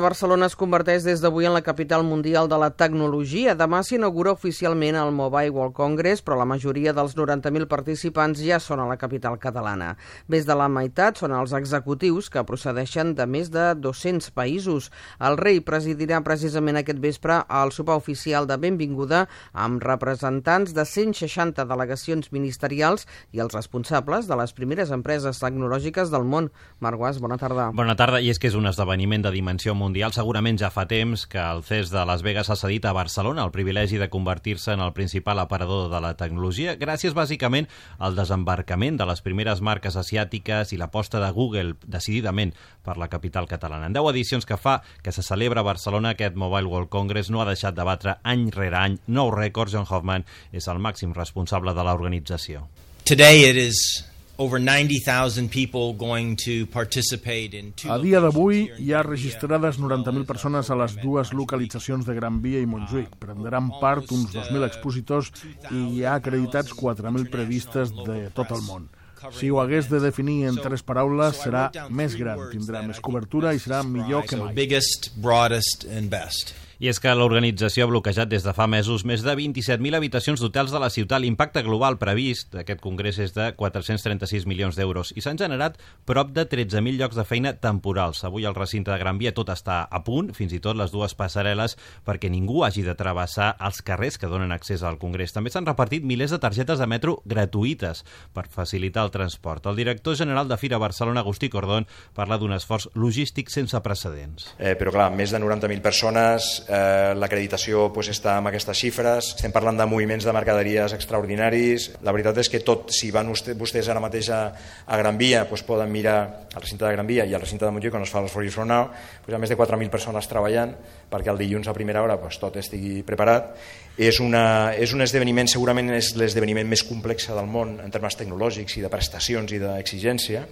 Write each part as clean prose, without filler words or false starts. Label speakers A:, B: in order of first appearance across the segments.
A: Barcelona es converteix des d'avui en la capital mundial de la tecnologia. Demà s'inaugura oficialment el Mobile World Congress, però la majoria dels 90.000 participants ja són a la capital catalana. Més de la meitat són els executius que procedeixen de més de 200 països. El rei presidirà precisament aquest vespre el sopar oficial de benvinguda amb representants de 160 delegacions ministerials i els responsables de les primeres empreses tecnològiques del món. Marc Guas, bona tarda.
B: Bona tarda, i és que és un esdeveniment de dimensió mundial. Segurament ja fa temps que el CES de Las Vegas ha cedit a Barcelona el privilegi de convertir-se en el principal aparador de la tecnologia, gràcies bàsicament al desembarcament de les primeres marques asiàtiques i l'aposta de Google decididament per la capital catalana. En 10 edicions que fa que se celebra a Barcelona, aquest Mobile World Congress no ha deixat de batre any rere any nous rècords. John Hoffman és el màxim responsable de l'organització.
C: Today it is over 90,000 people going to participate in two.
D: A dia d'avui hi ha registrades 90.000 persones a les dues localitzacions de Gran Via i Montjuïc. Prendran part uns 2.000 expositors i hi ha acreditats 4.000 periodistes de tot el món. Si ho hagués de definir en 3 paraules, serà més gran, tindrà més cobertura i serà millor que mai.
C: Biggest, broadest and best.
B: I és que l'organització ha bloquejat des de fa mesos més de 27.000 habitacions d'hotels de la ciutat. L'impacte global previst d'aquest congrés és de 436 milions d'euros i s'han generat prop de 13.000 llocs de feina temporals. Avui al recinte de Gran Via tot està a punt, fins i tot les dues passarel·les, perquè ningú hagi de travessar els carrers que donen accés al congrés. També s'han repartit milers de targetes de metro gratuïtes per facilitar el transport. El director general de Fira Barcelona, Agustí Cordón, parla d'un esforç logístic sense precedents.
E: Però clar, més de 90.000 persones. L'acreditació està amb aquestes xifres, estem parlant de moviments de mercaderies extraordinaris. La veritat és que tot, si van vostès ara mateix a Gran Via, poden mirar al recinte de Gran Via i al recinte de Montjuïc, on es fa el For You From Now, hi ha més de 4.000 persones treballant perquè el dilluns a primera hora tot estigui preparat. És un esdeveniment, segurament és l'esdeveniment més complex del món en termes tecnològics i de prestacions i d'exigència.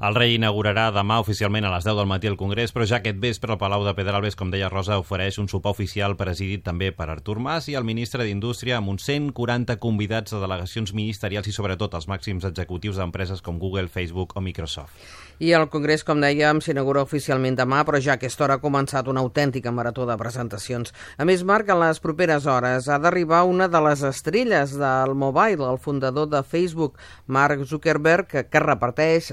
B: El rei inaugurarà demà oficialment a les 10 del matí el Congrés, però ja aquest vespre el Palau de Pedralbes, com deia Rosa, ofereix un sopar oficial presidit també per Artur Mas i el ministre d'Indústria, amb uns 140 convidats de delegacions ministerials i sobretot els màxims executius d'empreses com Google, Facebook o Microsoft.
A: I el Congrés, com dèiem, s'inaugura oficialment demà, però ja a aquesta hora ha començat una autèntica marató de presentacions. A més, Marc, en les properes hores ha d'arribar una de les estrelles del mobile, el fundador de Facebook, Mark Zuckerberg, que repeteix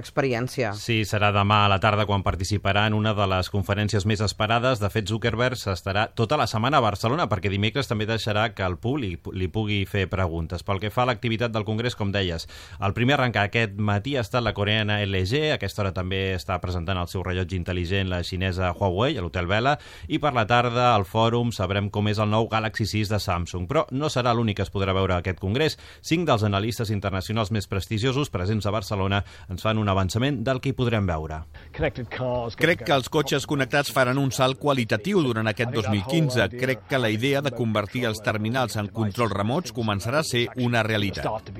A: experiència.
B: Sí, serà demà a la tarda quan participarà en una de les conferències més esperades. De fet, Zuckerberg estarà tota la setmana a Barcelona perquè dimecres també deixarà que el públic li pugui fer preguntes. Pel que fa a l'activitat del Congrés, com deies, el primer a arrencar aquest matí ha estat la coreana LG. A aquesta hora també està presentant el seu rellotge intel·ligent la xinesa Huawei a l'Hotel Vela, i per la tarda al fòrum sabrem com és el nou Galaxy 6 de Samsung. Però no serà l'únic que es podrà veure a aquest Congrés. 5 dels analistes internacionals més prestigiosos presents a Barcelona ens fan un avançament del que hi podrem veure.
F: Crec que els cotxes connectats faran un salt qualitatiu durant aquest 2015. Crec que la idea de convertir els terminals en controls remots començarà a ser una realitat.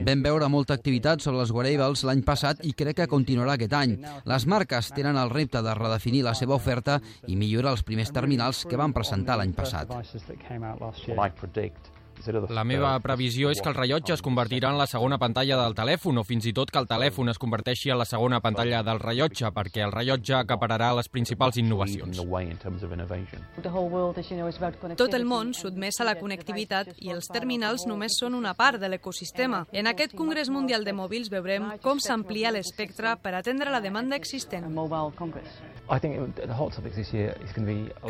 G: Vam veure molta activitat sobre els wearables l'any passat i crec que continuarà aquest any. Les marques tenen el repte de redefinir la seva oferta i millorar els primers terminals que van presentar l'any passat.
H: La meva previsió és que el rellotge es convertirà en la segona pantalla del telèfon o fins i tot que el telèfon es converteixi en la segona pantalla del rellotge perquè el rellotge acapararà les principals innovacions.
I: Tot el món sotmès a la connectivitat i els terminals només són una part de l'ecosistema. En aquest Congrés Mundial de Mòbils veurem com s'amplia l'espectre per atendre la demanda existent.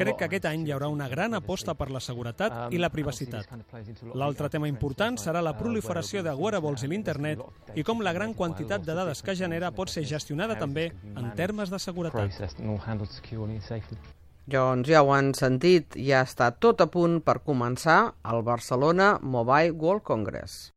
J: Crec que aquest any hi haurà una gran aposta per la seguretat i la privacitat. L'altre tema important serà la proliferació de wearables i l'internet i com la gran quantitat de dades que genera pot ser gestionada també en termes de seguretat.
A: Doncs ja ho han sentit, ja està tot a punt per començar el Barcelona Mobile World Congress.